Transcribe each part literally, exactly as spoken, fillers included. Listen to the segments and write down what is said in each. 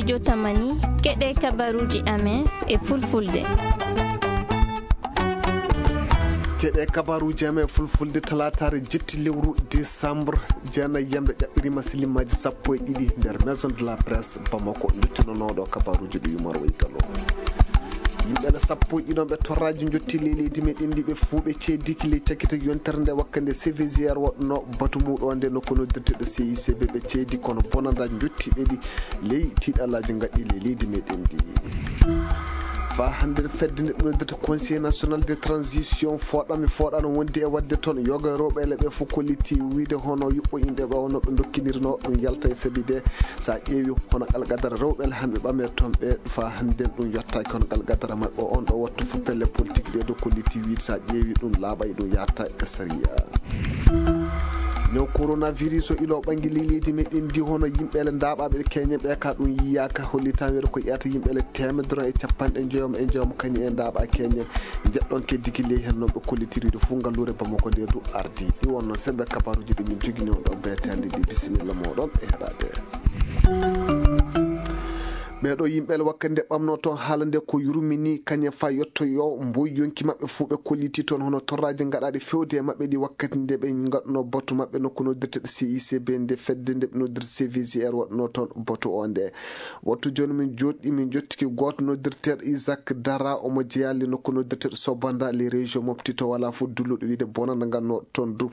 Jotamani, keɗe kabaruuji amen e fulfulde. Keɗe kabaruuji amen e fulfulde, talaataare jetti lewru décembre, jeenayi yamɓe ƴaɓɓiriima silimaaji sappo e ɗiɗi nder Maison de la Presse Bamako, njottinonoɗo kabaruuji ɗi Yumar Waytalo. Yimɓe sappo e ɗiɗon ɓe torraaji njotti ley leydi meɗen ndi, ɓe fuu ɓe ceediki ley cakkite yontere nde wakkande C V G R waɗno batu muuɗo nde nokku noddirteɗo C I C B, ɓe ceedi kono bonanda njotti ɓe ɗi ley tiiɗalaaji ngaɗɗi ley leydi meɗen ndi. Faa hannde fedde nde ɓe noddirta Conseil National de Transition fooɗami fooɗano wondi e waɗde toon yoga rewɓe ele ɓe fof kolliti wiide hono yuɓɓo inɗe ɓe wonno ɓe ndokkinirno ɗum yalta e sabi de. So a ƴeewi hono alqadara rewɓe ele hannde ɓame toon ɓe faa hannde ɗum yottaaki kono alqadara maɓɓe on ɗo wattu fof pelle politique ɗe ɗo kolliti wiide so a ƴeewi ɗum laaɓay ɗum yatta e sariya. Ñaw coronavirus o ilo ɓangi ley leydi meɗen ndi hono yimɓe ele ndaaɓaaɓe keñe ɓe ka ɗum yiyaaka hollitaa weeɗo ko ƴeewta yimɓe ele teemedere e capanɗe njoyom e njoyom kañum e ndaaɓa keñe. Njeɗɗon keddi ki ley heen noon ɓe kollitiriiɗo fof ngalluure Bamako nde du ardi. Ɗi wonno sembe kabaruuji ɗi min jogini on ɗo beetande ɗi bisimilla mooɗon e heɗaade. Ɓeeɗo yimɓe ele wakkati nde ɓamno toon haala nde ko yurmini kañe fa yettoyo mboy yonki maɓɓe fuu ɓe kolliti toon hono torraaji ngaɗaaɗi fewde e maɓɓe ɗi wakkati nde ɓe ngaɗno batu maɓɓe nokku noddirteɗo C I C B nde fedde nde ɓe noddirta C V G R waɗno toon batu o nde. Wattu jooni min jooɗi min jottiki gooto noddirteɗo Isaac Dara omo jeyaa le nokku noddirteɗo Sobanda le région Mopti to wala fof dulluɗo wiide bonanda nganno toon du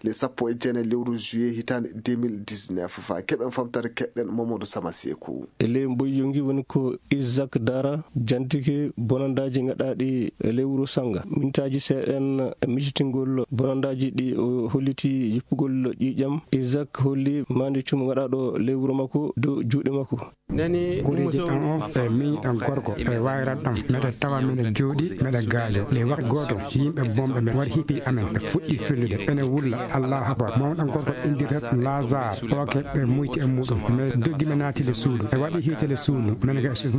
le sappo e jeenayi lewru juillet hitaande deux mille dix-neuf. Faa keɓen famtare keɓɗen Mamadou Sama Seeku. E ley mboyyo ngi woni ko Isaac Dara jantike bonandaaji ngaɗaaɗi e ley wuro Sanga. Mintaaji seeɗen misitingol bonandaaji ɗi o holliti jippugol ƴiiƴam. Isaac holli maandi cumu ngaɗaaɗo ley wuro makko dow juuɗe makko. Koreeji ɗan o e miñi ɗan gorko e wayrat ɗan meɗe tawa meɗe jooɗi meɗe gaajo le wakti gooto yimɓe bomɓe men wari hippi amen ɓe fuɗɗi fellude ene wulla Allahu akbar mawɗan gorko indirta Lazare oke ɓe muyti e muɗum mais doggi ɓe naati le suudu ɓe waɗi hiite le suudu men ga e suudu.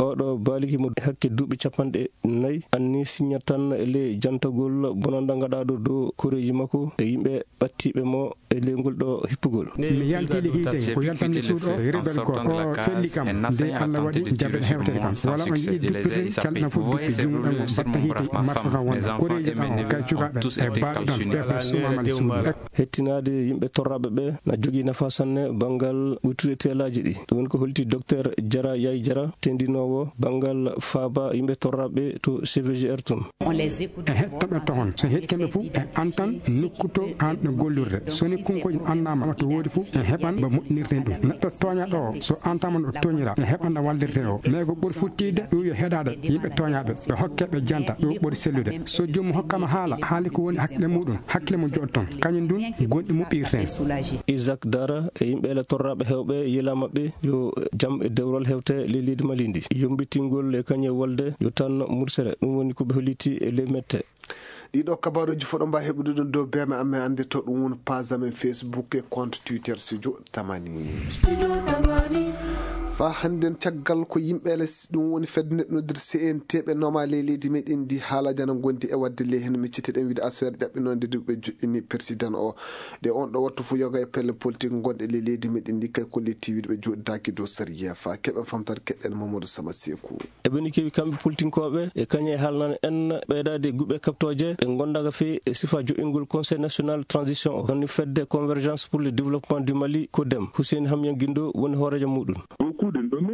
Oɗo baaliki mo hakke duuɓi capanɗe nayi anni siññat tan le jantagol bonanda ngaɗaaɗo dow koreeji makko e yimɓe ɓattiiɓe mo e ley ngol ɗo hippugol. Mi yaltiiɗe hiite ko yaltanmi suuɗo o rebel gooto o felli kam nde Allah waɗi jaɓe hewtere kam wala on yiɗi duppite calɗina fof duppi junngo ɗan o batta hiite marfa kan wonde koreeji kan o kay cukaaɓe e baaɗo ɗan ɓe fof sumaama le suuɗo. Hettinaade yimɓe torraaɓe ɓe na jogii nafa sanne banngal ɓuytude teelaaji ɗi. Ɗum woni ko holti Docteur Jara Yay Jara, tendinoowo banngal faaba yimɓe torraaɓe to C V G R tun. E heɗtoɓe toon so heɗtoɓe fof e antan nokku to hanɓe gollirde so ni kunkoji annama to woodi fof e heɓan ba moƴƴinirten ɗum neɗɗo tooñaɗo o so antama no tooñira e heɓan no wallirte o mais ko ɓuri futtide ɗum yo heɗaɗe yimɓe tooñaɓe ɓe hokke ɓe janta ɗum ɓuri sellude so joomum hokkama haala haali ko woni hakkille muɗum hakkille mo joɗɗon kañum ndun gonɗi muɓɓirten. Isaac Dara e yimɓe ele torraɓe hewɓe yila maɓɓe yo jam e dewral hewte ley leydi Mali ndi yombitingol e kañum e wolde yo tan mursere ɗum woni ko ɓe holliti e ley mette. Ɗiɗo kabaruji fof ɗo mbawi heɓude ɗum dow beme amen ande to ɗum woni page amen Facebook e compte Twitter Studio Tamani. Fa hannden caggal ko yimɓe ele ɗum woni fedde nde noddir C N T ɓe nooma ley leydi meɗen ndi haalaji ana gondi e wadde ley hen micciteɗen wiide aswere ƴaɓɓinode nde ɓe joɗɗini président o. Ɗe on ɗo wattu fof yoga e pelle politique gonɗe ley leydi meɗen ndi kay kolliti wiide ɓe joɗidaki dow sariya fa keɓen famtata keɗɗen Mamadou Sama Seku. Eɓeni kewi kamɓe politinkooɓe e kañe e haalnano en ɓeydaade guɓe kaɓtooje ɓe ngondaka fii e sifa jo'ingol Conseil National Transition o. Woni fedde Convergence pour le Développement du Mali, CODEM, Hussein Hamyan Guindo woni hooreejo muɗum.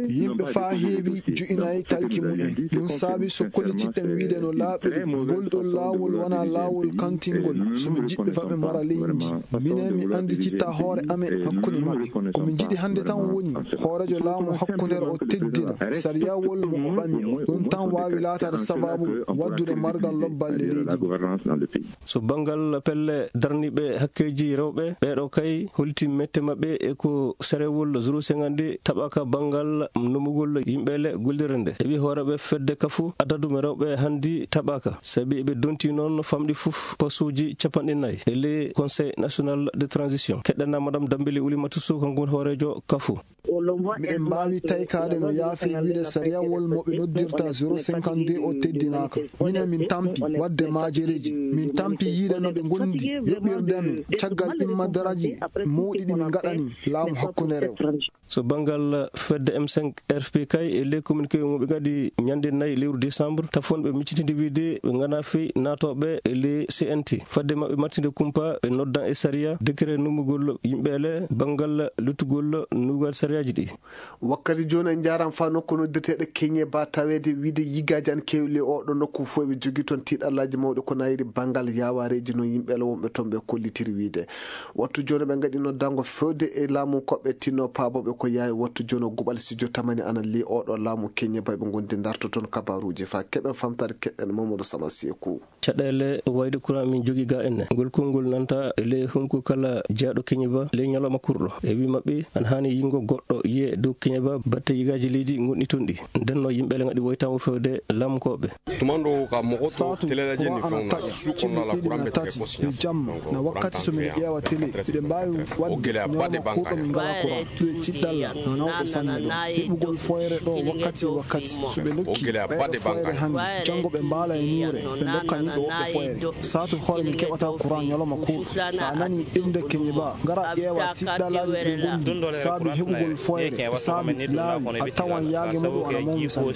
Yimɓe faa heewi jo'inaay talki mumen. Ɗum saabi so kollitiɗen wiide no laaɓiri, ngol ɗoo laawol wonaa laawol kantingol. So ɓe njiɗɓe fa ɓe mara leydi ndi. Minen mi anndititta hoore amen hakkunde maɓɓe. Ko min njiɗi hannde tan woni hooreejo laamu hakkundeere o teddina sariyawol mo o ɓami o. Ɗum tan waawi laataade sabaabu waddude margal lobballe leydi. So banngal pelle darniiɓe hakkeeji rewɓe, ɓeeɗo kay holti mette maɓɓe e ko sarewol zéro cinquante taɓaka banngal nomugol yimɓe le gollirde nde. Heɓi hooreeɓe fedde kafu adadu mo rewɓe hanndi taɓaka. Sabi eɓe donti noon famɗi fof postuuji capanɗe nayi e ley Conseil National de Transition. Keɗɗen na Madame Dambeli Oulimata Sow, kanko woni hooreejo kafu. Miɗen mbaawi taykaade no yaafiri wiyde sariyawol mo ɓe noddirta zéro cinquante-deux o teddinaaka. Minen min tampi waɗde maajereeji, min tampi yiyde no ɓe ngondi yoɓirde men caggal immadaraaji mawɗi ɗi min ngaɗani laamu hakkundeere o. So banngal fedde M cinq R P K e ley communiqué mo ɓe ngaɗi ñande nayi lewru décembre, tafonɓe miccitinde wiyde ɓe nganaa fey naatooɓe e ley C N T. Fadde maɓɓe mattinde kumpa, ɓe noddan e sariya décret nummugol yimɓe ele banngal luttugol nuugal sariyaaji ɗi. Wakkati jooni en njaaraama faa nokku noddirteeɗo Keñe Ba, taweede wiyde yigaaji ana keewi ley oo ɗoo nokku fof, eɓe njogii toon tiiɗallaaji mawɗi ko nayiri banngal yaawareeji, no yimɓe ele wonɓe toon ɓe kollitiri wiyde. Wattu jooni ɓe ngaɗi noddango fewde e laamu koɓɓe tinno paabooɓe ko yawi. Wattu jooni o guɓal studio tamani ana ley oo ɗoo laamu Keñe Ba, ɓe ngondi ndarto toon kabaruuji faa keɓen famtaade keɗɗen Mamadou Sama Seeku. Caɗeele wayde courant min jogii ga enne. Ngol konngol nanta ley hunko kala jeyaaɗo Keñe Ba ley ñalawma kurɗo. E wii maɓɓe, ana haani yingo goɗɗo yiye dow Keñe Ba batte yigaaji leydi ngonɗi toon ɗi. Nden no yimɓe ele ngaɗi woytango fewde laamu koɓɓe. Tuma ɗo ka mogo to Saatu, teleelaaji courant ni ana fewna taƴa, suuko cimɓe nala ɗiɗi courant na ɓe tati, tege posi. Yo jamma, na wakkati so miɗo ƴeewa télé, miɗo mbaawi waɗde ñalawma kurɗo min ngalaa courant. Ɗum e tiɗɗalla nawɗo sanne ɗo. Heɓugol foyre ɗo wakkati e wakkati. So ɓe ndokki ɓeyɗo foyre hannde, janngo ɓe mbaala e ñuure, ɓe ndokka yimɓe woɓɓe foyre. Saatu hoore min keɓata courant ñalawma kurɗo. So a nani innde Keñe Ba, ngara ƴeewa tiɗɗallaaji ɗi ngondi saabi heɓugol foyre, saabi laawi, a tawan yaage muɗum ana mawni sanne.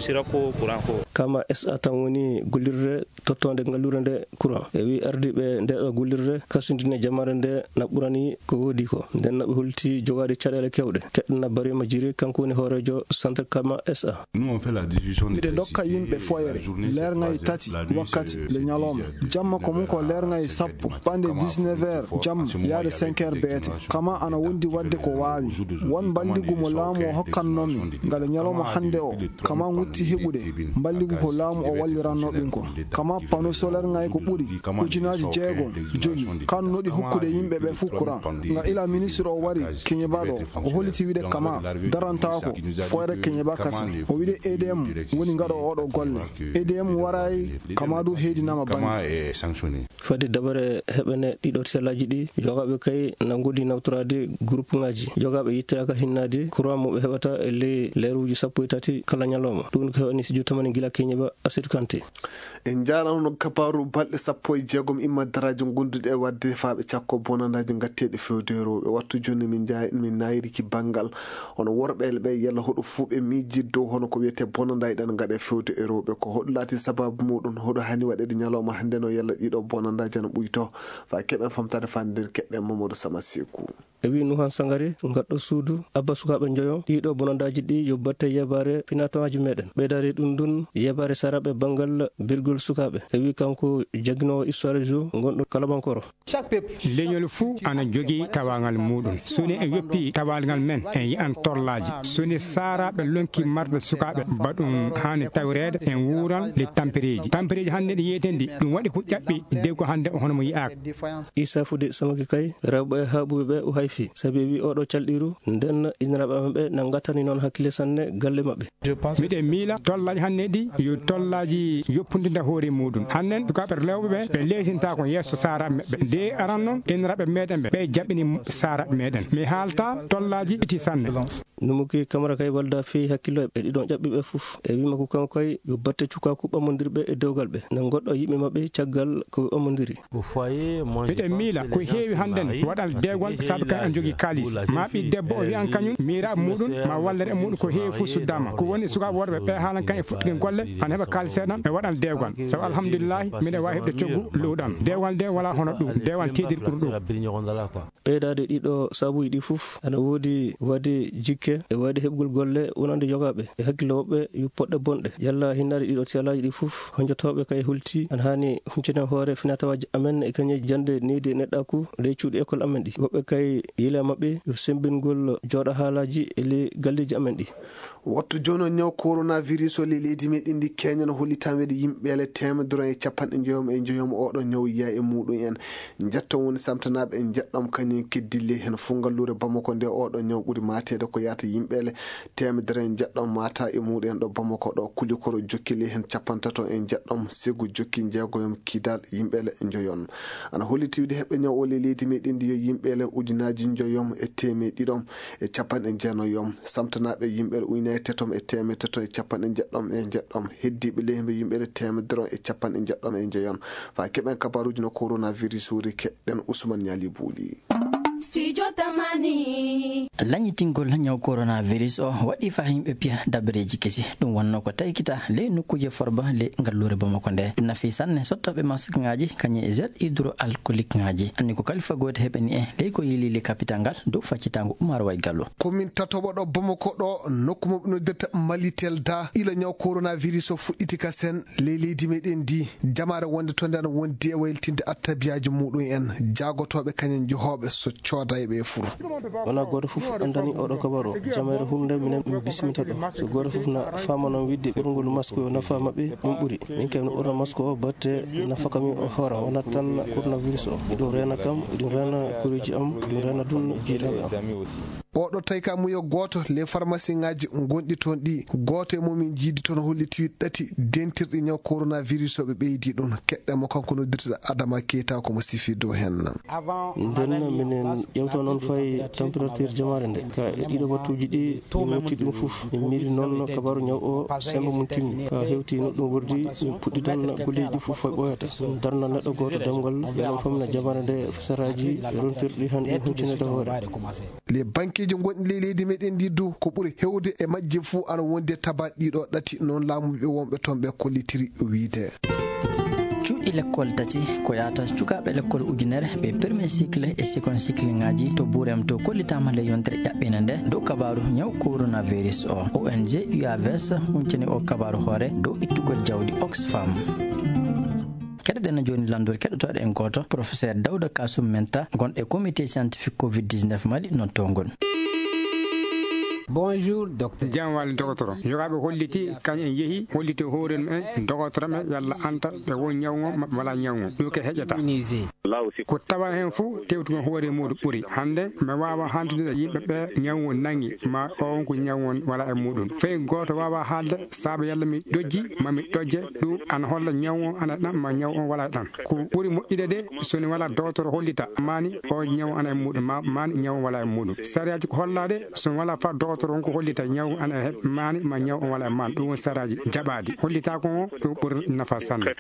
Kama S A tan woni gollirde tottoonde ngalluure nde courant. E wii ardiiɓe nde ɗo gollirde kasindine jamaare nde na ɓurani ko woodi ko. Nden na ɓe holti jogaade caɗeele kewɗe. Keɗɗen na Bariima Jiri, kanko woni hooreejo Centre Kama S A. Miɗo ndokka yimɓe foyre leerŋay tati wakkati le ñalawma. Jamma ko mum ko leerŋay sappo, ɓande dix-neuf heures jamma yaade cinq heures beete. Kama ana wondi waɗde ko waawi. Won mballigu mo laamu o hokkannoo min ngale ñalawma hannde o. Kama wutti heɓude mballigu ko laamu o walliranno ɗum ko. Kama panneau solaire ŋay ko ɓuri ujunaaji jeegom jogi. Kan noɗi hokkude yimɓe ɓe fuu courant. Nga ila ministre o wari Keñe Ba ɗo, o holliti wide Kama darantaako foyre Keñe Ba kasin. O wide E D M woni ngaɗo oɗo golle. E D M waray, Kama du heedinama bannge. Fade dabare heɓene ɗiɗo tellaaji ɗi, yogaaɓe kay na ngodi nawtoraade groupe ŋaaji. Yogaaɓe yittaaka hinnaade courant mo ɓe heɓata e ley leeruuji sappo e tati kala ñalawma. Ɗum ko heɓani studio tamani gila Keñe Ba, Asetu Kante. En njaarano no kabaaru balɗe sappo e jeegom imma daraaji gonduɗe e waɗde faaɓe cakko bonandaaji ngatteeɗi fewde e rewɓe. Wattu jooni min njaay-, min naayiriki banngal hono worɓe ɓe yalla hoɗo fuu ɓe miijii dow hono ko wiyetee bonandaaji ɗan ngaɗe fewde e rewɓe. Ko hoɗo laati sababu muɗum, hoɗo hani waɗeede ñalawma hannde no yalla ɗiɗo bonandaaji ana ɓuyto. Faa keɓen famtaade fande nden keɓɓen Mamadou Sama Seeku. E wii Nuhan Sangare, ngaɗɗo suudu, abba sukaaɓe njoyo, ɗiɗo bonandaaji ɗi yo batte yebaare finatawaaji meɗen. Ɓeydaade ɗum ndun, yebaare saraaɓe banngal birgol sukaaɓe. E wii kanko jagginoowo histoire jour, ngonɗo Kalabankoro. Leñol fuu ana jogii tawaangal muuɗum. So ni en yoppii tawaangal men, en yi'an torlaaji. So ni saaraaɓe lonki marɓe sukaaɓe, ba ɗum haani tawireede, en wuuran le tampereeji. Tampereeji hannde ɗi yeetendi, ɗum waɗi ko ƴaɓɓi dewgo hannde o hono mo yi'aaka. Isa Fude Samaki kay, rewɓe haaɓuɓe ɓe o hayfi, sabi wi oɗo calɗiru, nden inniraaɓe maɓɓe na ngattani noon hakkille sanne galle maɓɓe. Miɗen miila tollaaji hannde ɗi yo tollaaji yoppundinta hoore muuɗum. Hannden sukaaɓe rewɓe ɓe, ɓe leesintaako yeeso saaraaɓe maɓɓe. Nde aran noon, inniraaɓe meɗen ɓe, ɓe jaɓɓini saaraaɓe meɗen. Mi haalta tollaaji iti sanne. Numuki Kamara kay walda fii hakkillo e ɗiɗon ƴaɓɓiiɓe fof. E wii makko kanko kay yo batte cukaaku ɓammondirɓe e dewgal ɓe. Na goɗɗo yimɓe maɓɓe caggal ko ɓammondiri. Miɗen miila ko heewi hannden waɗal dewgal sabu kañum en jogii kaalis. Ma ɓii debbo o wi'an kañum miiraaɓe muuɗum ma wallere e muuɗum ko heewi fof suddaama. Ko woni sukaaɓe worɓe ɓe haalan kan e fuɗɗuki golle ana heɓa kaalis seeɗan e waɗal dewgal. Sabu alhamdulillahi miɗen waawi heɓde coggu luuɗam. Dewgal nde walaa hono ɗum. Dewgal teedir ɓuri ɗum. Ɓeydaade ɗiɗo sabuuji ɗi fof ana woodi waɗde jikke e waɗde heɓgol golle wonande yogaaɓe e hakkille woɓɓe yo poɗɗe bonɗe. Yalla hinnaade ɗiɗo tiyalaaji ɗi fof, honjotooɓe kay hulti ana haani huncine hoore finatawaaji amen e kañe jannde neydi e neɗɗaaku ley cuuɗi école amen ɗi. Woɓɓe kay yila maɓɓe yo semmbingol jooɗa haalaaji e ley galleeji amen ɗi. Wattu jooni o ñaw coronavirus o ley leydi meɗen ndi Kenya no holli tan weede yimɓe ele teemedere e capanɗe njoyom e njoyom oɗo ñaw yiya e muɗum en. Njetto woni samtanaaɓe en njeɗɗom kañum keddilli heen fof ngalluure Bamako nde oɗo ñaw ɓuri maateede ko yaata yimɓe ele teemedere e njeɗɗom maata e muɗum en ɗo Bamako ɗo kulikoro jokkili heen capantato e njeɗɗom segu jokki njeegoyom kidal yimɓe ele njoyon. Ana holli tiwde heɓɓe ñaw o ley leydi meɗen ndi yo yimɓe ele ujunaaji njoyom e teemeɗiɗom e capanɗe jeenayoom, samtanaaɓe yimɓe ujunere tetom e teemeɗe tetom e capanɗe jeɗɗom e jeɗɗom, heddiiɓe leydi yimɓe teemedere e capanɗe jeɗɗom e njeyon. Faa keɓen kabaaruuji no coronavirus wuri, keɗɗen Usman Ñaali Buuli. Studio Tamani. Lañitingol ñaw coronavirus o waɗi faa yimɓe piya dabareeji kesi. Ɗum wonnoo ko taykita ley nokkuuje Forba ley ngalluure Bamako nde. Ɗum nafi sanne sottooɓe maskŋaaji kañum e gel hydroalcooliqueŋaaji. Anni ko kalifa gooto heɓani en ley ko yiili ley kapital ngal dow faccitaango Umar Way Gallo. Ko min tatoɓo ɗo Bamako ɗo, nokku mo ɓe noddirta Malitel da. Ila ñaw coronavirus o fuɗɗiti ka sen ley leydi meɗen ndi, jamaare wonde toon nde ana wondi e waylitinde attabiyaaji muɗum en, jaagotooɓe kañum jehooɓe so coodayɓe e fur. Wonaa gooto fof anndani oɗo kabaru o. Jamaare hurnde minen min bismita ɗo. So gooto fof na faama noon wiɗde ɓorngol masque o nafa maɓɓe, ɗum ɓuri. Min kam mi ɓorna masque o batte nafa kam o hoore, wonaa tan coronavirus o. Eɗum reena kam, eɗum reena koreeji am, eɗum reena ɗum jiilaaɓe am. Oɗo tawi ka muyo gooto, les pharmacienŋaaji gonɗi toon ɗi, gooto e mumen jiidi toon holliti ɗati dentirɗi ñaw coronavirus o ɓe ɓeydi ɗum. Keɗɗen mo kanko noddirteɗo Adama Keita ko mo sifi dow hen. Nden minen ƴewta noon fay température jamaare nde. Ka e ɗiɗo wattuuji ɗi, min motti ɗum fof. Min miili noon kabaru ñaw o sembe mum timmi. Ka hewti no ɗum wordi, min puɗɗi tan golleeji ɗi fof fay ɓooyata. Min darna neɗɗo gooto demngal, enen fof minen jamaare nde saraaji rontirɗi hannde huccine ɗo hoore. Les banqueeji gonɗi ley leydi meɗen ndi du, ko ɓuri hewde e majje fuu ana wondi e tabaɗi ɗiɗo ɗati, noon laamuɓe wonɓe toon ɓe kollitiri wiide. Cuuɗi lekkol tati ko yahata sukaaɓe lekkol ujunere, ɓe premier cycle e second cycle ŋaaji to Burem to kollitaama ley yontere ƴaɓɓiinde nde dow kabaaru ñaw coronavirus o. O N G U A V S huncani o kabaaru hoore dow ittugol jawdi Oxfam. Keɗoɗen jooni lanndol keɗotooɗo en gooto, Professeur Dawda Kasum Menta, gonɗo e Comité Scientifique covid dix-neuf Mali nottongol. Bonjour, docteur. Jam wali dogotoro. Yogaaɓe holliti, kañ en yehi, holliti hoore mum en, dogotoro men, yalla anta ɓe won ñaw ngon, ma wala ñaw ngon. Ɗum ke heƴata. Immunisé. Ko tawa heen fof, tewtugol hoore muuɗum ɓuri. Hannde, mi waawa hantude yimɓe ɓe ñaw ngon nangi, ma o on ko ñaw ngon wala e muuɗum. Fay gooto waawa haalde, sabu yalla mi ɗojji, ma mi ɗojje, ɗum ana holla ñaw on ana e ɗan, ma ñaw on wala e ɗan. Ko ɓuri moƴƴude de, so ni wala dogotoro hollita, maani o ñaw ana e muuɗum, ma, maani ñaw on wala e muuɗum. Sariyaaji ko hollaade, so ni wala fa dogotoro on ko hollita ñaw ana e heɓ, maani ma ñaw on wala e maan. Ɗum woni sariyaaji jaɓaaɗi. Hollita ko on, ɗum ɓuri nafa sanne.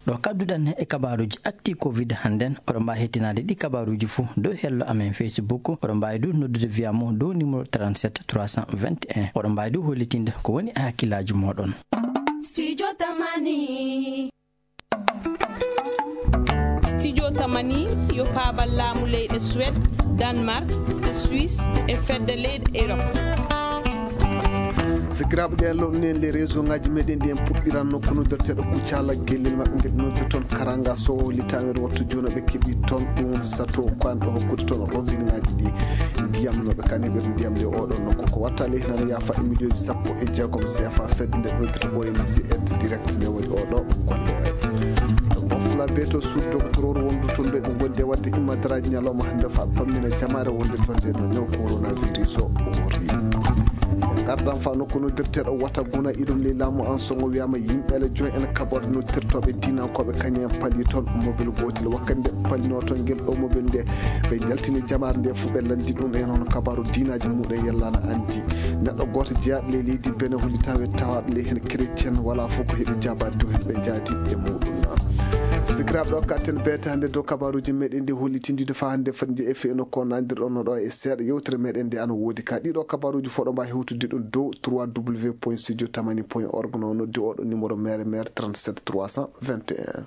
Ɗo kadduɗen e kabaaruuji actu covid hannden, oɗon mbaawi hettinaade ɗi kabaaruuji fof dow hello amen Facebook. Oɗon mbaawi du noddude via mo dow numéro trente-sept trois cent vingt et un. Oɗon mbaawi du hollitinde ko woni e hakkillaaji mooɗon. Studio Tamani. Studio Tamani yo paabal laamu leyɗe Suède, Danemark, Suisse e fedde leyɗe Europe. Sikiraaɓe, ɗen lomni en les réseau ngaji meɗen ɗi en puɗɗiranno ko noddirteɗo Kucala, gellel maɓɓe ngel noddirton Karanga Sow, litamen wattu jono ɓe keɓi toon ɗum sato ko an ɗo hokkude toon robinet ngaji ɗi ndiyam no ɓe kani ɓe ndiyam nde oɗo nokku ko watta ley nana yaafa e miliyoji sappo e jeegom C F A fedde nde ɗo to O N G aide direct nde woni oɗo golle. Bofla beto suddo ko toror wondu toon ɓe ɓe gondi e wadde immadaraaji ñalawma hannde fa pammina jamaare wonde toon nde no ñaw coronavirus o wori. Gardan fa nokku noddirteɗo wata guna iɗum ley laamu an songo wiyama yimɓe le joy en kaɓorde noddirtoɓe dinankoɓe kañum en pali toon mobil gotel wakkati nde palino toon ngel ɗo mobil nde ɓe jaltini jamaare nde fof ɓe landi ɗum e noon kabaru dinaji muɗum yallana andi neɗɗo goto jeyaɗo ley leydi bene holli tawe tawaɗo ley hen chrétien wala fof ko heɓi jabade dow hen ɓe jaati e muɗum. Sikiraɓe ɗo katten betande dow kabaruji meɗen ndi hollitindide fa hande fadde e feno ko nandirɗon no ɗo e seeɗa yewtere meɗen nde ana woodi ka ɗiɗo kabaruji fof ɗo mbawi hewtude ɗum dow trois w point studio tamani point org no noddi oɗo numéro mere mere trente-sept trois cent vingt et un.